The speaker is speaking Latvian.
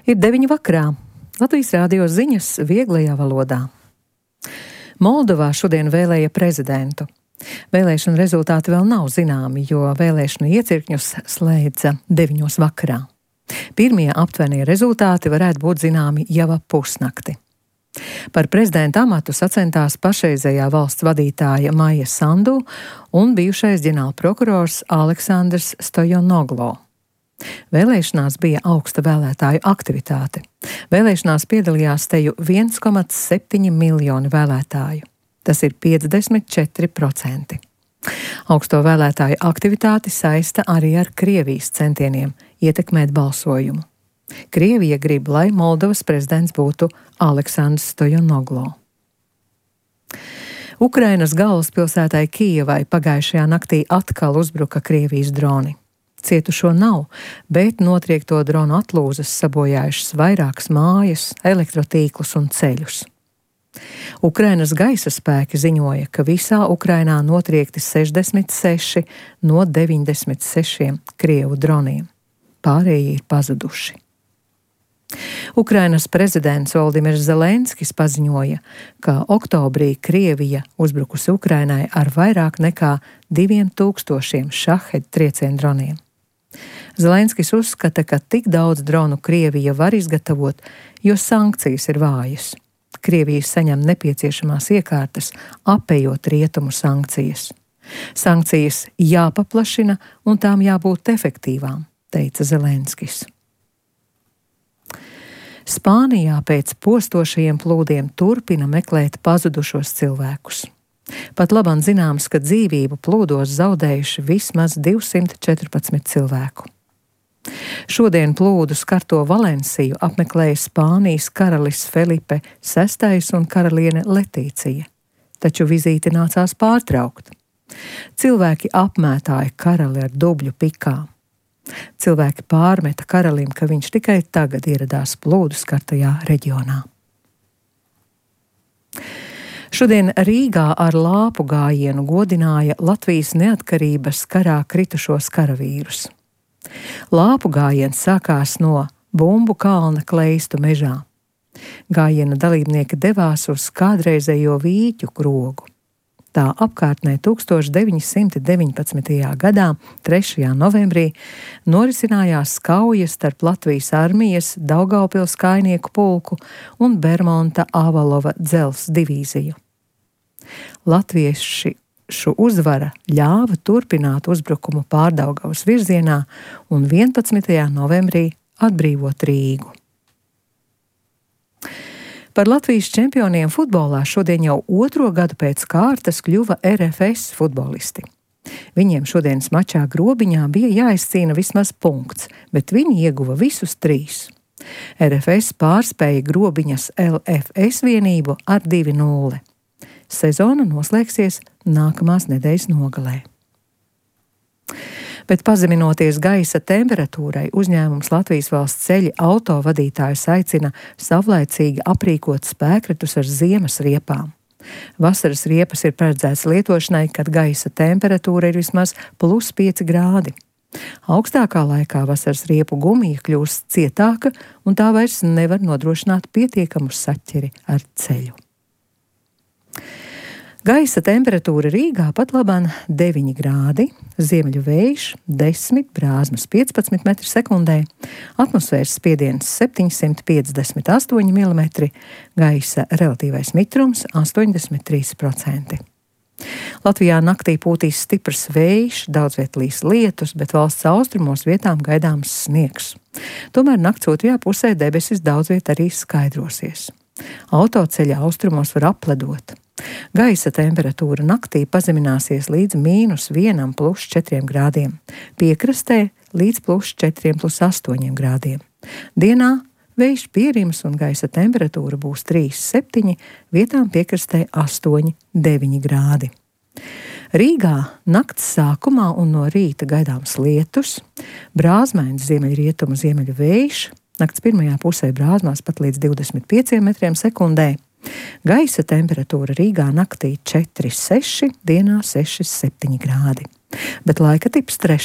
Ir 9 vakarā. Latvijas Rādio ziņas vieglajā valodā. Moldovā šodien vēlēja prezidentu. Vēlēšanu rezultāti vēl nav zināmi, jo vēlēšanu iecirkņus slēdza 9 vakarā. Pirmie aptuvenie rezultāti varētu būt zināmi jau ap pusnakti. Par prezidenta amatu sacentās pašreizējā valsts vadītāja Maija Sandu un bijušais ģenerālprokurors Aleksandrs Stojanoglo. Vēlēšanās bija augsta vēlētāju aktivitāte. Vēlēšanās piedalījās teju 1,7 miljoni vēlētāju. Tas ir 54%. Augsto vēlētāju aktivitāti saista arī ar Krievijas centieniem ietekmēt balsojumu. Krievija grib, lai Moldovas prezidents būtu Aleksandrs Stojanoglo. Ukrainas galvaspilsētai Kijevai pagājušajā naktī atkal uzbruka Krievijas droni. Cietušo nav, bet notriekto dronu atlūzas sabojājušas vairākas mājas, elektrotīklus un ceļus. Ukrainas gaisa spēki ziņoja, ka visā Ukrainā notriekti 66 no 96 Krievu droniem. Pārējie ir pazuduši. Ukrainas prezidents Voldimirs Zelenskis paziņoja, ka oktobrī Krievija uzbrukusi Ukrainai ar vairāk nekā 2000 šahed triecienu droniem. Zelenskis uzskata, ka tik daudz dronu Krievija var izgatavot, jo sankcijas ir vājas. Krievija saņem nepieciešamās iekārtas, apējot rietumu sankcijas. Sankcijas jāpaplašina un tām jābūt efektīvām, teica Zelenskis. Spānijā pēc postošajiem plūdiem turpina meklēt pazudušos cilvēkus. Pat labāk zināms, ka dzīvību plūdos zaudējuši vismaz 214 cilvēku. Šodien plūdu skarto Valenciju apmeklēja Spānijas karalis Felipe VI un karaliene Letīcija, taču vizīti nācās pārtraukt. Cilvēki apmētāja karali ar dubļu pikām. Cilvēki pārmeta karalim, ka viņš tikai tagad ieradās plūdu skartajā reģionā. Šodien Rīgā ar lāpu gājienu godināja Latvijas neatkarības karā kritušos karavīrus. Lāpu gājiens sākās no Bumbu kalna Kleistu mežā. Gājiena dalībnieki devās uz kādreizējo Vīķu krogu. Tā apkārtnē 1919. gadā, 3. novembrī, norisinājās kauja starp Latvijas armijas Daugavpils kājnieku pulku un Bermonta Avalova dzelzs divīziju. Latviešu uzvara ļāva turpināt uzbrukumu Pārdaugavas virzienā un 11. novembrī atbrīvot Rīgu. Par Latvijas čempioniem futbolā šodien jau 2. gadu pēc kārtas kļuva RFS futbolisti. Viņiem šodienas mačā Grobiņā bija jāizcīna vismaz punkts, bet viņi ieguva visus 3. RFS pārspēja Grobiņas LFS vienību ar 2-0. Sezona noslēgsies nākamās nedēļas nogalē. Bet pazeminoties gaisa temperatūrai, uzņēmums Latvijas valsts ceļi autovadītājus aicina savlaicīgi aprīkot spēkretus ar ziemas riepām. Vasaras riepas ir paredzētas lietošanai, kad gaisa temperatūra ir vismaz +5 grādi. Augstākā laikā vasaras riepu gumija kļūst cietāka un tā vairs nevar nodrošināt pietiekamu saķeri ar ceļu. Gaisa temperatūra Rīgā pat labāk 9 grādi, ziemeļu vējš 10, brāzmas 15 m/sekundē, atmosfēras spiediens 758 mm, gaisa relatīvais mitrums 83%. Latvijā naktī pūtīs stiprs vējš, daudz viet līs lietus, bet valsts austrumos vietām gaidāms sniegs. Tomēr nakts otrajā pusē debesis daudz viet arī skaidrosies. Autoceļa austrumos var apledot. Gaisa temperatūra naktī pazemināsies līdz -1 +4 grādiem, piekrastē līdz +4 +8 grādiem. Dienā vējš pierims un gaisa temperatūra būs 3,7, vietām piekrastē 8,9 grādi. Rīgā nakts sākumā un no rīta gaidāms lietus, brāzmains ziemeļrietumu ziemeļu vējš, nakts pirmajā pusē brāzmās pat līdz 25 m/sekundē. Gaisa temperatūra Rīgā naktī 4,6, dienā 6,7 grādi, bet laika tips 3.